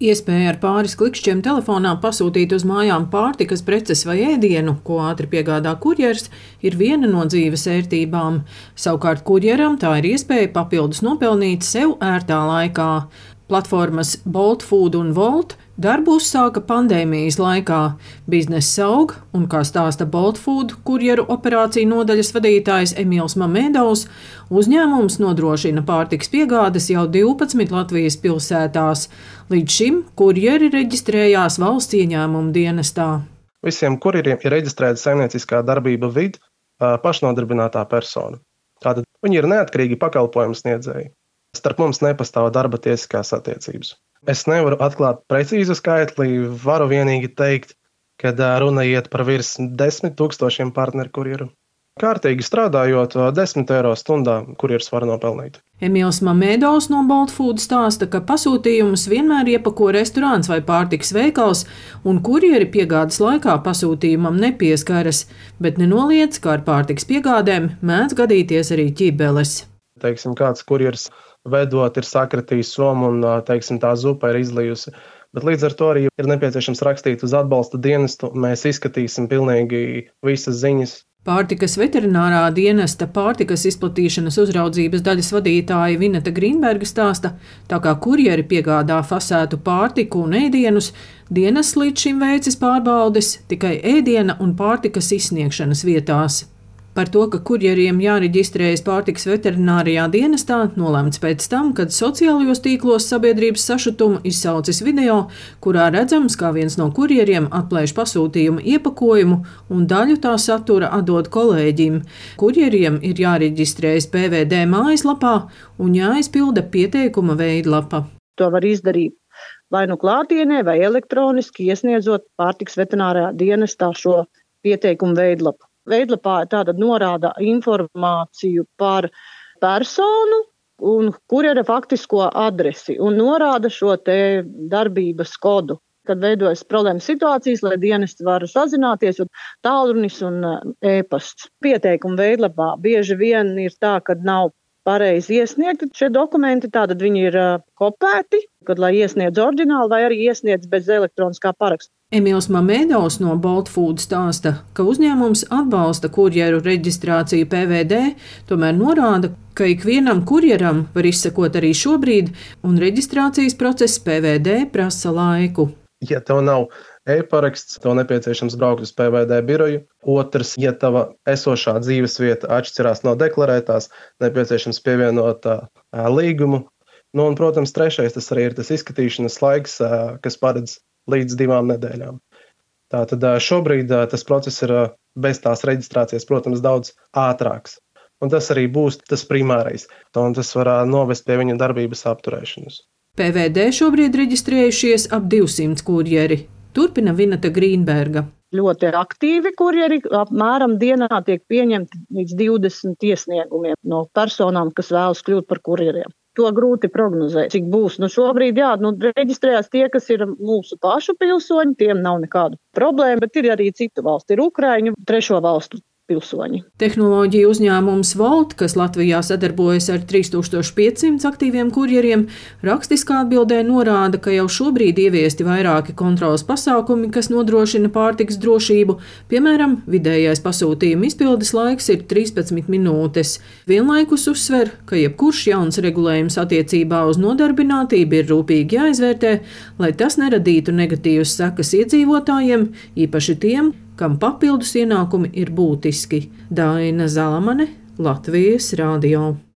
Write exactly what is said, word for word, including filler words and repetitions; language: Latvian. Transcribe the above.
Iespēja ar pāris klikšķiem telefonā pasūtīt uz mājām pārtikas preces vai ēdienu, ko ātri piegādā kurjers, ir viena no dzīves ērtībām. Savukārt kurjeram tā ir iespēja papildus nopelnīt sev ērtā laikā. Platformas Bolt Food un Volt darbu uzsāka pandēmijas laikā. Bizness aug, un, kā stāsta Bolt Food kurjeru operāciju nodaļas vadītājs Emīls Mamēdovs, uzņēmums nodrošina pārtikas piegādes jau divpadsmit Latvijas pilsētās. Līdz šim kurjeri reģistrējās valsts ieņēmuma dienestā. Visiem kurjeriem ir reģistrēta saimnieciskā darbība vid pašnodarbinātā persona. Tātad viņi ir neatkarīgi pakalpojumu sniedzēji. Starp mums nepastāv darba tiesiskās attiecības. Es nevaru atklāt precīzu skaitli, varu vienīgi teikt, ka runa iet par virs desmit tūkstošiem partneru kurjeru. Kārtīgi strādājot, desmit eiro stundā kurjers var nopelnīt. Emīls Mamēdovs no Bolt Food stāsta, ka pasūtījumus vienmēr iepako restorāns vai pārtikas veikals, un kurjeri piegādes laikā pasūtījumam nepieskaras, bet nenoliedz, ka ar pārtikas piegādēm mēdz gadīties arī ķibeles. Teiksim, kāds kurjers vedot ir sakratījis somu un, teiksim, tā zupa ir izlijusi. Bet līdz ar to arī ir nepieciešams rakstīt uz atbalsta dienestu. Mēs izskatīsim pilnīgi visas ziņas. Pārtikas veterinārā dienesta pārtikas izplatīšanas uzraudzības daļas vadītāja Vineta Grīnberga stāsta, tā kā kurjeri piegādā fasētu pārtiku un ēdienus, dienests līdz šim veicis pārbaudes tikai ēdiena un pārtikas izsniegšanas vietās. Par to, ka kurjeriem jāreģistrējas pārtikas veterinārijā dienestā, nolēmts pēc tam, kad sociālajos tīklos sabiedrības sašutumu izsaucis video, kurā redzams, kā viens no kurjeriem atplēš pasūtījumu iepakojumu un daļu tā satura atdod kolēģim. Kurjeriem ir jāreģistrējas P V D mājaslapā un jāizpilda pieteikuma veidlapa. To var izdarīt vai nu klātienē, vai elektroniski iesniedzot pārtikas veterinārijā dienestā šo pieteikumu veidlapu. Veidlapā tātad norāda informāciju par personu un kurjera faktisko adresi un norāda šo te darbības kodu. Kad veidojas problēmas situācijas, lai dienesti var sazināties, un tālrunis un e-pasts. Pieteikuma veidlapā bieži vien ir tā, ka nav pareizi iesniegti šie dokumenti, tātad viņi ir kopēti, kad lai iesniedz oriģināli vai arī iesniedz bez elektroniskā paraksta. Emīls Mamēdovs no Bolt Food stāsta, ka uzņēmums atbalsta kurjeru reģistrāciju P V D, tomēr norāda, ka ikvienam kurjeram var izsekot arī šobrīd, un reģistrācijas process P V D prasa laiku. Ja tev nav e-paraksts, tev nepieciešams braukt uz P V D biroju. Otrs, ja tava esošā dzīvesvieta atšķirās no deklarētās, nepieciešams pievienot uh, līgumu. Nu, un, protams, trešais, tas arī ir tas izskatīšanas laiks, uh, kas paredz līdz divām nedēļām. Tātad šobrīd tas process ir bez tās reģistrācijas, protams, daudz ātrāks. Un tas arī būs tas primārais. Un tas var novest pie viņa darbības apturēšanas. P V D šobrīd reģistrējušies ap divsimt kurjeri. Turpina Vineta Grīnberga. Ļoti aktīvi kurjeri, apmēram dienā tiek pieņemti līdz divdesmit iesniegumiem no personām, kas vēlas kļūt par kurjeriem. To grūti prognozēt, cik būs. Nu, šobrīd jā, nu, reģistrējās tie, kas ir mūsu pašu pilsoņi, tiem nav nekādu problēmu, bet ir arī citu valstu, ir Ukraiņu, trešo valstu pilsoņi. Tehnoloģiju uzņēmums Volt, kas Latvijā sadarbojas ar trīs tūkstoši piecsimt aktīviem kurjeriem, rakstiskā atbildē norāda, ka jau šobrīd ieviesti vairāki kontroles pasākumi, kas nodrošina pārtikas drošību. Piemēram, vidējais pasūtījuma izpildes laiks ir trīspadsmit minūtes. Vienlaikus uzsver, ka jebkurš jauns regulējums attiecībā uz nodarbinātību ir rūpīgi jāizvērtē, lai tas neradītu negatīvas sekas iedzīvotājiem, īpaši tiem, kam papildus ienākumi ir būtiski. Daina Zalamane, Latvijas radio.